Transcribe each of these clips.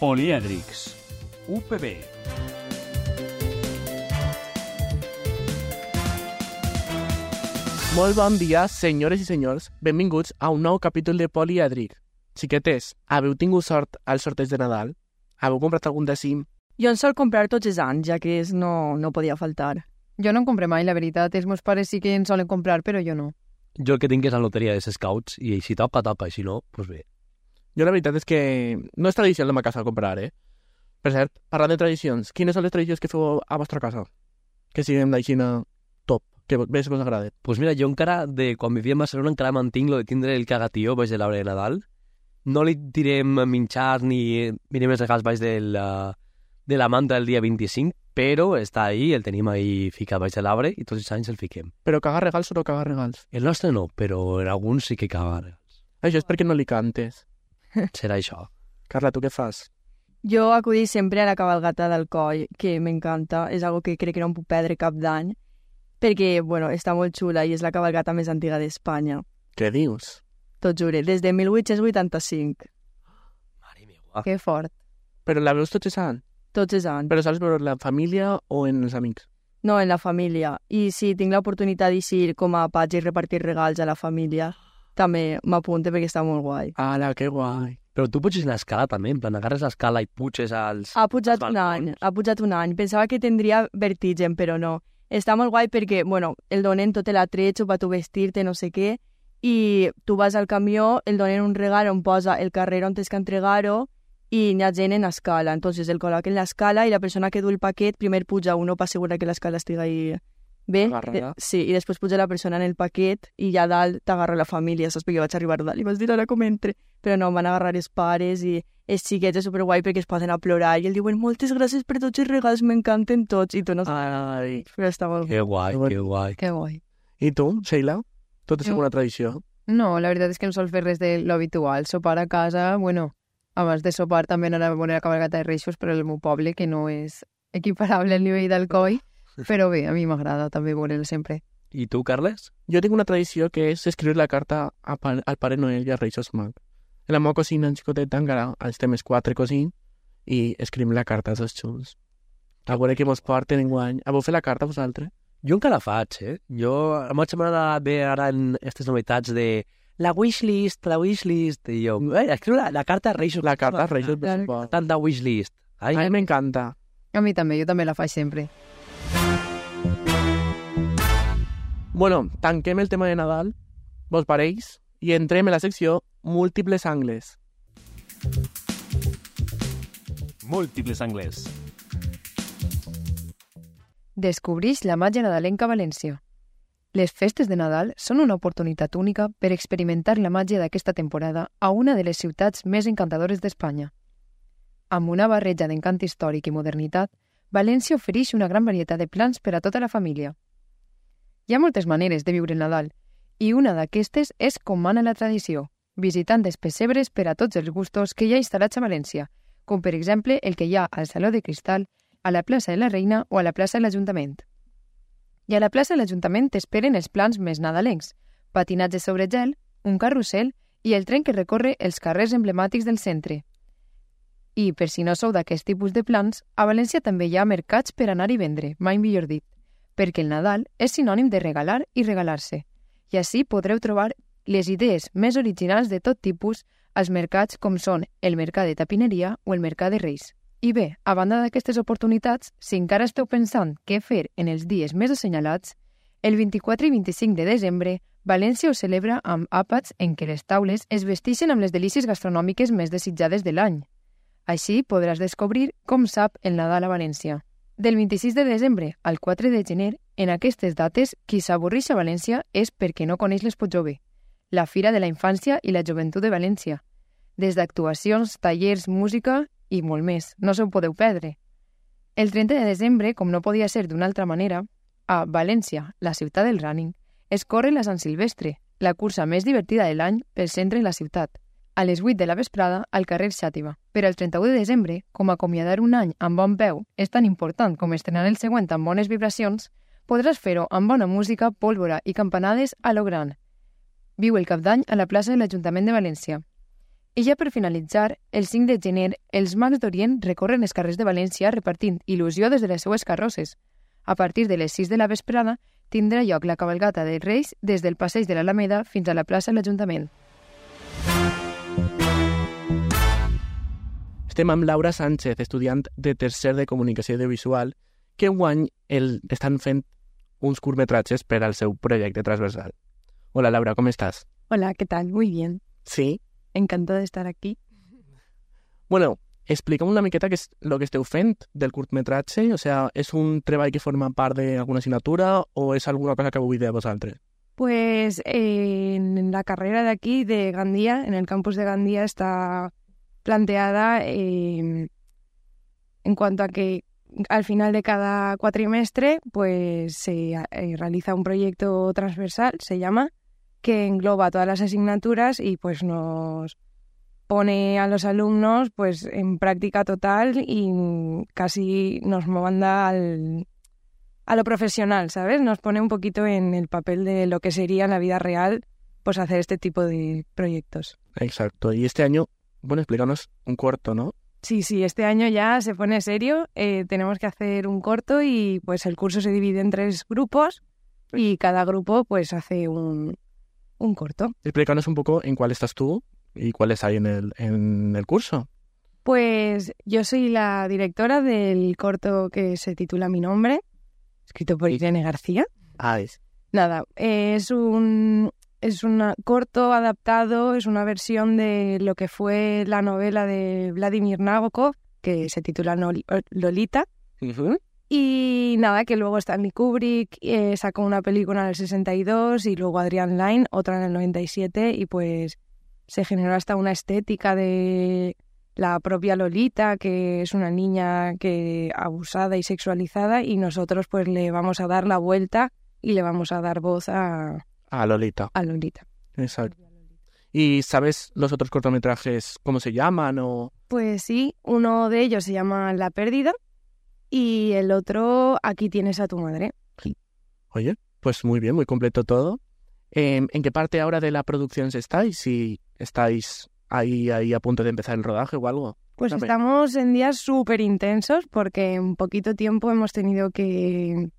Polièdrics, UPB. Molt bon dia, senyores i senyors. Benvinguts a un nou capítol de Polièdric. Xiquetes, haveu tingut sort al sorteig de Nadal? Haveu comprat algun de cim? Jo en sol comprar tots els anys, ja que no podia faltar. Jo no en compre mai, la veritat. Els meus pares sí que en solen comprar, però jo no. Jo el que tinc és la loteria dels scouts i si toca, toca, i si no, doncs bé. Jo la veritat és que no és tradició en la meva casa comprar, Per cert, parlant de tradicions, quines són les tradicions que feu a vostra casa? Que siguin d'aixina top, que més us agrada. Doncs mira, jo encara, de quan vivia a Barcelona, encara mantinc lo de tindre el cagatió baix de l'arbre de Nadal. No li tirem minxar ni mirem els regals baix de la manta del dia 25, però està ahí, el tenim ahí ficat baix de l'arbre i tots els anys el fiquem. Però cagar regals o no cagar regals? El nostre no, però en alguns sí que caga regals. Això és perquè no li cantes. Serà això. Carla, tu què fas? Jo acudís sempre a la cabalgata d'Alcoi, que m'encanta, és algo que crec que no em puc perdre cap d'any, perquè, està molt xula i és la cabalgata més antiga d'Espanya. Què dius? Tot jure, des de 1885. Mare meva. Que fort. Però la veus tots els anys? Tots els anys. Però saps veure la família o en els amics? No, en la família. I si tinc l'oportunitat d'eixir com a patge i repartir regals a la família, també m'apunte perquè està molt guai. Ala, que guai. Però tu puges l'escala també, en plan, agarres l'escala i puges als... Ha pujat un any. Pensava que tindria vertigen, però no. Està molt guai perquè, el donen tot l'atrecho per tu vestir-te, no sé què, i tu vas al camió, el donen un regal on posa el carrer on tens que entregar-ho i n'hi ha gent en escala. Entonces el col·loquen l'escala i la persona que du el paquet primer puja uno per assegurar que l'escala estigui bé. Sí, i després puja la persona en el paquet i ja dalt t'agarra la família, saps? Perquè jo vaig arribar dalt i vas dir ara com entre. Però no, van agarrar els pares i els xiquets és superguai perquè es posen a plorar i el diuen moltes gràcies per tots els regals, m'encanten tots. I tu no... Ai, però està molt Que guai, que guai. Que guai. I tu, Sheila? Tot és Jo. alguna tradició? No, la veritat és que no sol fer res de lo habitual. Sopar a casa, abans de sopar també anar a veure la cabalgata de Reixos, però el meu poble, que no és equiparable al nivell d'Alcoi, però bé, a mi m'agrada també veure'l sempre. I tu, Carles? Jo tinc una tradició que és escriure la carta al Pare Noel i als Reis Mag. En la meva cosina, en xicoteta, encara estem els 4 cosins i escrivim la carta als xuls. A veure què mos porten enguany. Haveu fet la carta vosaltres? Jo encara faig, Jo, a mi m'agrada bé ara en aquestes novetats de la wishlist, i jo, escriu la carta a Reis. La carta als Reis, per supost. Tanta wishlist. A mi m'encanta. A mi també, jo també la faig sempre. Bueno, tanquem el tema de Nadal, vos pareix, i entrem en la secció Múltiples Angles. Múltiples angles. Descobrix la màgia nadalenca a València. Les festes de Nadal són una oportunitat única per experimentar la màgia d'aquesta temporada a una de les ciutats més encantadores d'Espanya. Amb una barreja d'encant històric i modernitat, València ofereix una gran varietat de plans per a tota la família. Hi ha moltes maneres de viure el Nadal, i una d'aquestes és com mana la tradició, visitant els pessebres per a tots els gustos que hi ha instal·lats a València, com per exemple el que hi ha al Saló de Cristal, a la plaça de la Reina o a la plaça de l'Ajuntament. I a la plaça de l'Ajuntament t'esperen els plans més nadalencs, patinatge sobre gel, un carrusel i el tren que recorre els carrers emblemàtics del centre. I, per si no sou d'aquest tipus de plans, a València també hi ha mercats per anar i vendre, mai millor dit, perquè el Nadal és sinònim de regalar i regalar-se, i així podreu trobar les idees més originals de tot tipus als mercats com són el Mercat de Tapineria o el Mercat de Reis. I bé, a banda d'aquestes oportunitats, si encara esteu pensant què fer en els dies més assenyalats, el 24 i 25 de desembre, València ho celebra amb àpats en què les taules es vesteixen amb les delícies gastronòmiques més desitjades de l'any. Així podràs descobrir com sap el Nadal a València. Del 26 de desembre al 4 de gener, en aquestes dates, qui s'avorreix a València és perquè no coneix l'Expo Jove, la Fira de la Infància i la Joventut de València. Des d'actuacions, tallers, música i molt més, no se ho podeu perdre. El 30 de desembre, com no podia ser d'una altra manera, a València, la ciutat del running, es corre la Sant Silvestre, la cursa més divertida de l'any pel centre de la ciutat, a les 8 de la vesprada al carrer Xàtiva. Per al 31 de desembre, com acomiadar un any amb bon peu és tan important com estrenar el següent amb bones vibracions, podràs fer-ho amb bona música, pólvora i campanades a lo gran. Viu el Cap d'Any a la plaça de l'Ajuntament de València. I ja per finalitzar, el 5 de gener, els mags d'Orient recorren els carrers de València repartint il·lusió des de les seues carrosses. A partir de les 6 de la vesprada tindrà lloc la cabalgata dels Reis des del passeig de l'Alameda fins a la plaça de l'Ajuntament. Estem amb Laura Sánchez, estudiant de tercer de Comunicació Audiovisual, que enguany estan fent uns curtmetratges per al seu projecte transversal. Hola, Laura, ¿cómo estás? Hola, ¿qué tal? Muy bien. Sí. Encantada de estar aquí. Bueno, explica'm una miqueta què és el que esteu fent del curtmetratge. O sea, és un treball que forma part d'alguna assignatura o és alguna cosa que vau idear vosaltres? Pues en la carrera de aquí, de Gandía, en el campus de Gandía, está planteada en cuanto a que al final de cada cuatrimestre pues se realiza un proyecto transversal, se llama, que engloba todas las asignaturas y pues nos pone a los alumnos pues en práctica total y casi nos manda a lo profesional, ¿sabes? Nos pone un poquito en el papel de lo que sería en la vida real pues hacer este tipo de proyectos. Exacto. Y este año, bueno, explícanos un corto, ¿no? Sí, este año ya se pone serio. Tenemos que hacer un corto y pues el curso se divide en 3 grupos y cada grupo pues hace un corto. Explícanos un poco en cuál estás tú y cuáles hay en el curso. Pues yo soy la directora del corto que se titula Mi nombre, escrito por Irene García. Nada, es un corto adaptado, es una versión de lo que fue la novela de Vladimir Nabokov, que se titula Lolita. Uh-huh. Y nada, que luego Stanley Kubrick sacó una película en el 62 y luego Adrian Lyne, otra en el 97, y pues se generó hasta una estética de la propia Lolita, que es una niña que abusada y sexualizada, y nosotros pues le vamos a dar la vuelta y le vamos a dar voz a Lolita. A Lolita. Exacto. ¿Y sabes los otros cortometrajes cómo se llaman o...? Pues sí, uno de ellos se llama La pérdida y el otro Aquí tienes a tu madre. Oye, pues muy bien, muy completo todo. ¿En qué parte ahora de la producción estáis? Si estáis ahí a punto de empezar el rodaje o algo. Pues Cuéntame. estamos en días súper intensos porque en poquito tiempo hemos tenido que,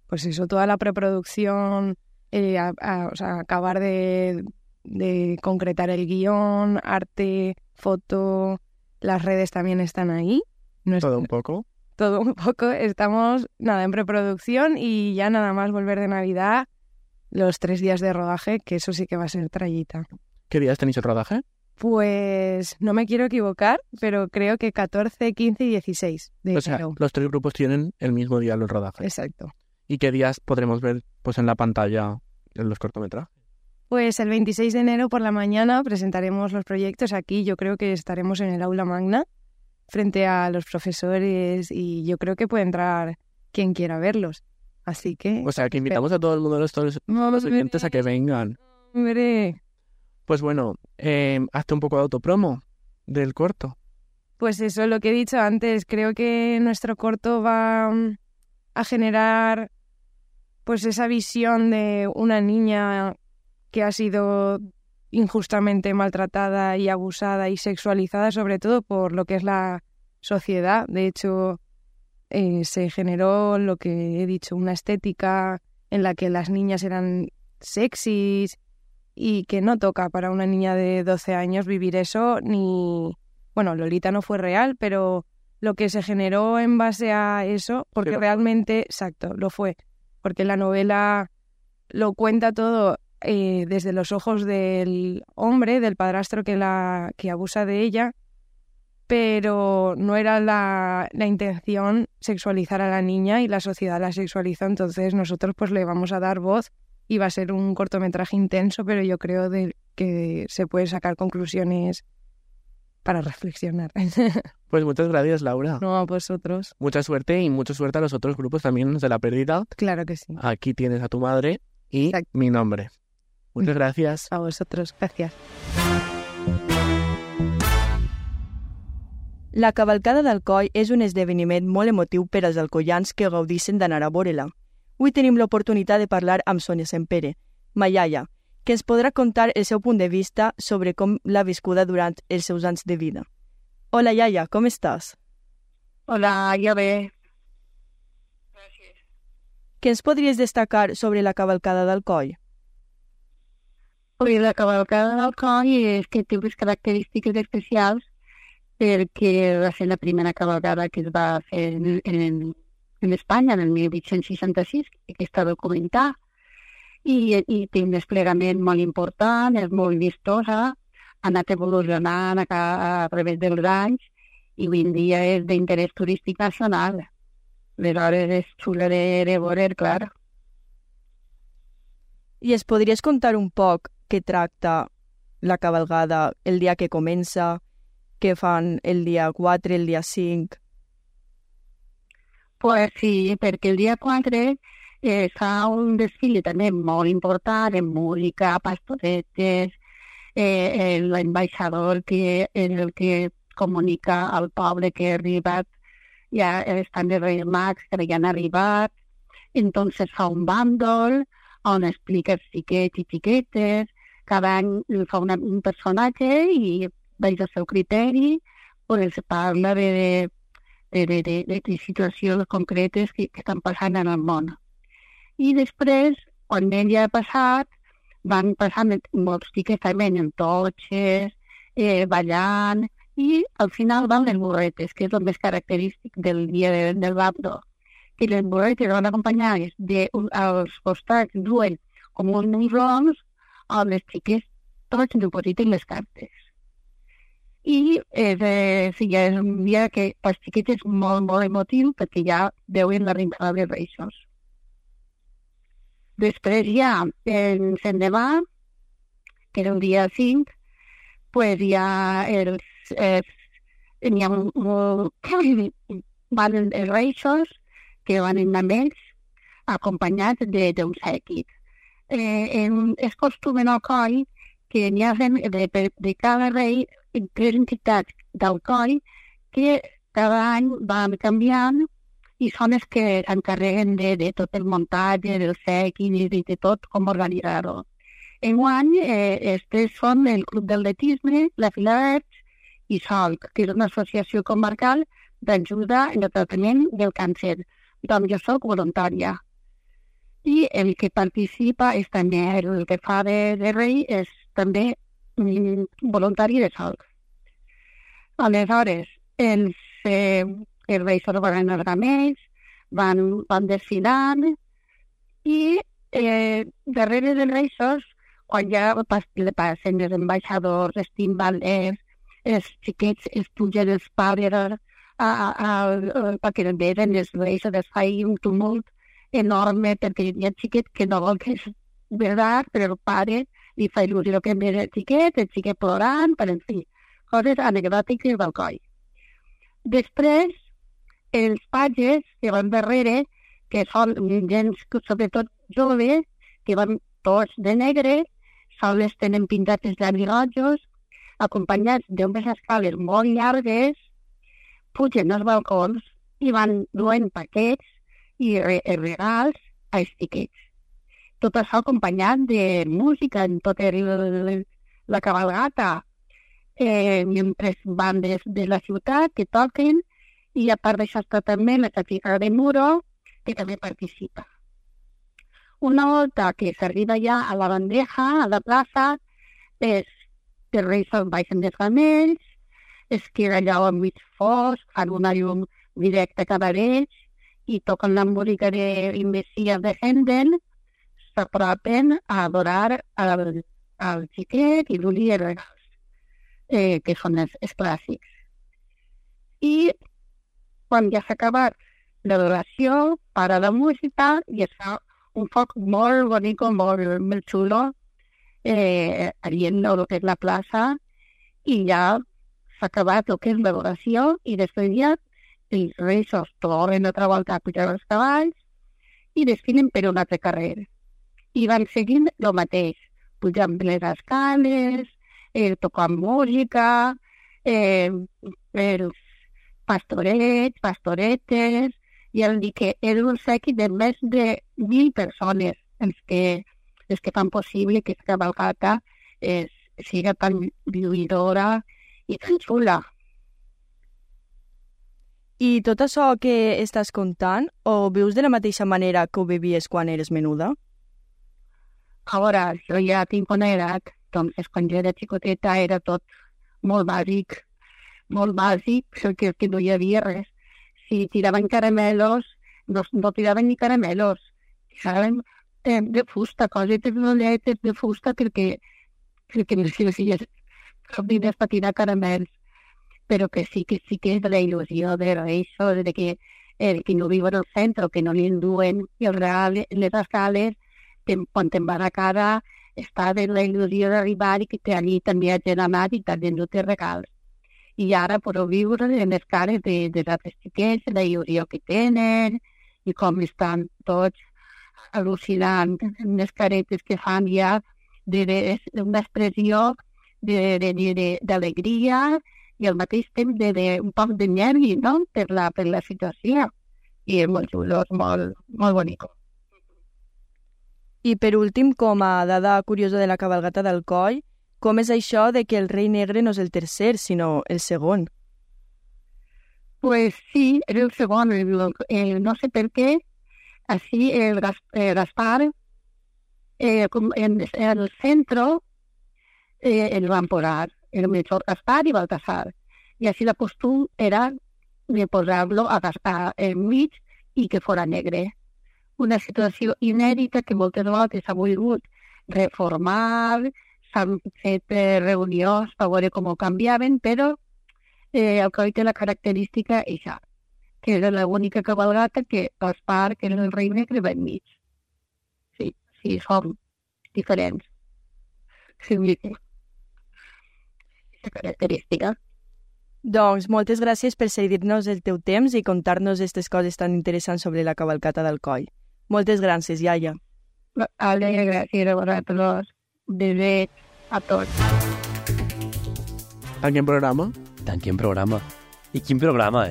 pues eso, toda la preproducción, o sea, acabar de concretar el guión, arte, foto, las redes también están ahí. Todo un poco. Todo un poco. Estamos, nada, en preproducción y ya nada más volver de Navidad, los 3 días de rodaje, que eso sí que va a ser trallita. ¿Qué días tenéis el rodaje? Pues no me quiero equivocar, pero creo que 14, 15 y 16 de O sea, enero. los 3 grupos tienen el mismo día el rodaje. Exacto. ¿Y qué días podremos ver pues en la pantalla en los cortometrajes? Pues el 26 de enero por la mañana presentaremos los proyectos aquí. Yo creo que estaremos en el aula magna frente a los profesores y yo creo que puede entrar quien quiera verlos. Así que... O sea, que invitamos a todo el mundo de los oyentes a que vengan. Hombre. Pues bueno, hazte un poco de autopromo del corto. Pues eso, lo que he dicho antes, creo que nuestro corto va a generar pues esa visión de una niña que ha sido injustamente maltratada y abusada y sexualizada, sobre todo por lo que es la sociedad. De hecho, se generó lo que he dicho, una estética en la que las niñas eran sexys y que no toca para una niña de 12 años vivir eso, ni... Bueno, Lolita no fue real, pero lo que se generó en base a eso, porque realmente, exacto, lo fue, porque la novela lo cuenta todo desde los ojos del hombre, del padrastro que abusa de ella, pero no era la intención sexualizar a la niña y la sociedad la sexualizó, entonces nosotros pues le vamos a dar voz y va a ser un cortometraje intenso, pero yo creo que se pueden sacar conclusiones para reflexionar. Pues muchas gracias, Laura. No, a vosotros. Mucha suerte y mucha suerte a los otros grupos también de La pérdida. Claro que sí. Aquí tienes a tu madre y Exacto. Mi nombre. Muchas gracias. A vosotros, gracias. La cavalcada d'Alcoi és un esdeveniment molt emotiu per als alcoians que gaudeixen d'anar a veure-la. Avui tenim l'oportunitat de parlar amb Sònia Sempere, ma iaia, que ens podrà contar el seu punt de vista sobre com l'ha viscuda durant els seus anys de vida. Hola, iaia, com estàs? Hola, jo bé. Gràcies. Què ens podries destacar sobre la cavalcada d'Alcoi? La cavalcada d'Alcoi és que té unes característiques especials perquè va ser la primera cavalcada que es va fer en Espanya, en el 1866, que està documentada, i té un desplegament molt important, és molt vistosa, ha anat evolucionant a través dels anys, i avui en dia és d'interès turístic nacional. Aleshores és xula de veure, clar. I es podries contar un poc què tracta la cavalgada el dia que comença, què fan el dia 4, el dia 5? Pues sí, perquè el dia 4 fa un desfile també molt important, en música, pastoretes, l'ambaixador que és el que comunica al poble que ha arribat, ja estan els Reis Mags que ja han arribat, entonces fa un bàndol on explica els xiquets i xiquetes, cada any fa un personatge i veig el seu criteri, on els parla de situacions concretes que estan passant en el món. I després, quan ell ja ha passat, van passant molts xiquets també en totxes, ballant, i al final van les burretes, que és el més característic del dia del bàndol. Que les burretes van acompanyades als costats duen com uns morrons on els xiquets tots depositen les cartes. I ja és un dia que pels xiquets és molt, molt emotiu perquè ja veuen l'arribada dels Reis. Després ja, l'endemà, que era el dia 5, pues ja van els Reis que van amb ells acompanyats d'un sèquit. És costum en Alcoi que n'hi ha de cada rei tres entitats d'Alcoi que cada any van canviant i són els que s'encarreguen de tot el muntatge, del sèquit i de tot com organitzar-ho. Enguany, els tres són el Club d'Atletisme, la Filarets i Solc, que és una associació comarcal d'ajuda en el tractament del càncer. Doncs jo soc voluntària. I el que participa és també, el que fa de rei, és també voluntari de Solc. Aleshores, els reis van anar els ramells, van desfilant i darrere dels reis, quan ja passen els ambaixadors, els timbalers, els xiquets es pugen els pares perquè venen els reis, es fa un tumult enorme perquè hi ha xiquet que no vol que és veritat, però el pare li fa il·lusió que ve el xiquet plorant, per en fi, coses anecdòtiques del coll. Després, els patges que van darrere, que són gent sobretot joves, que van tots de negre, sols tenen pintats els llavis rojos, acompanyats d'unes escales molt llargues, pugen als balcons i van duent paquets i regals als xiquets. Tot això acompanyat de música en tota la cabalgata, mentre bandes de la ciutat que toquen, i a part d'això està també la Sagrada de Muro, que també participa. Una volta que s'arriba ja a la bandeja, a la plaça, els reis baixen dels ramells, es queda allò amb mig fosc, fan una llum directa cada ells i toquen la música d'Investia de Händel, s'apropen a adorar al xiquet i l'Uli de regals, que són els clàssics. I quan ja s'ha acabat l'adoració, para la música i es fa un foc molt bonic, molt xulo, allí en el que és la plaça, i ja s'ha acabat el que és l'adoració i després ja els reis es tornen a volta a pujar els cavalls i desfilen per un altre carrer. I van seguint el mateix, pujant les escales, tocant música, els pastorets, pastoretes, i han dit que era un sèquit de més de 1.000 persones els que les que fan possible que aquesta cavalcata siga tan lluïdora i tan xula. I tot això que estàs contant, ho vius de la mateixa manera que ho vivies quan eres menuda? Ara, jo ja tinc una edat, doncs quan jo era xicoteta era tot molt bàsic, perquè no hi havia res. Si tiraven caramelos, no tiraven ni caramelos, tiraven de fusta, cosetes rolletes de fusta perquè no havia cap diners per tirar caramels. Però que sí que és la il·lusió d'això, que no viuen al centre, que no li enduen les escales, quan te'n va a cara, està de la il·lusió d'arribar i que allí també hi ha anat i també endut regals. I ara podeu viure en les cares de altres xiquets, la il·lusió que tenen i com estan tots al·lucinant les caretes que fan ja d'una expressió d'alegria i al mateix temps d'un poc de nervi, no?, per la situació. I és molt xulo, és molt bonic. I per últim, com a dada curiosa de la cabalgata d'Alcoi, com és això de que el rei negre no és el tercer, sinó el segon? Pues sí, era el segon. No sé per què, així el Gaspar, en el centre, el van posar, el Melchor Gaspar i Baltasar. I així la costum era de posar-lo a Gaspar enmig i que fora negre. Una situació inèdita que moltes vegades s'ha volgut reformar, s'han fet reunions per veure com ho canviaven, però Alcoi té la característica això, que era l'única cabalgata que Gaspar, que era el rei negre, va enmig. Sí, som diferents. Sí, aquesta característica. Doncs moltes gràcies per cedir-nos el teu temps i contar-nos aquestes coses tan interessants sobre la cavalcata d'Alcoi. Moltes gràcies, iaia. Gràcies a vosaltres. Bé a tots. Tanquem programa? Tanquem programa. I quin programa,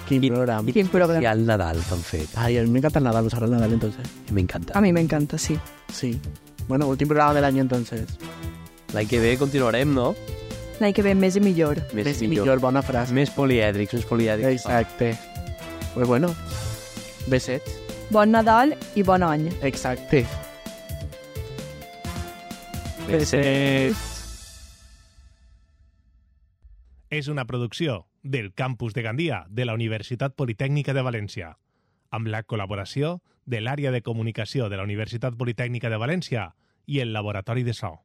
Quin programa? Quin programa? I el Nadal que han fet. Ay, a mí me encanta el Nadal, usar el Nadal entonces. Me encanta. A mi m'encanta, sí. Sí. Bueno, últim programa del año entonces. L'any que ve continuarem, no? L'any que ve més i millor. Més millor, bona frase. Més polièdrics. Exacte. Pues bueno, besets. Bon Nadal i bon any. Exacte. Besets. És una producció del Campus de Gandia de la Universitat Politècnica de València, amb la col·laboració de l'Àrea de Comunicació de la Universitat Politècnica de València i el Laboratori de So.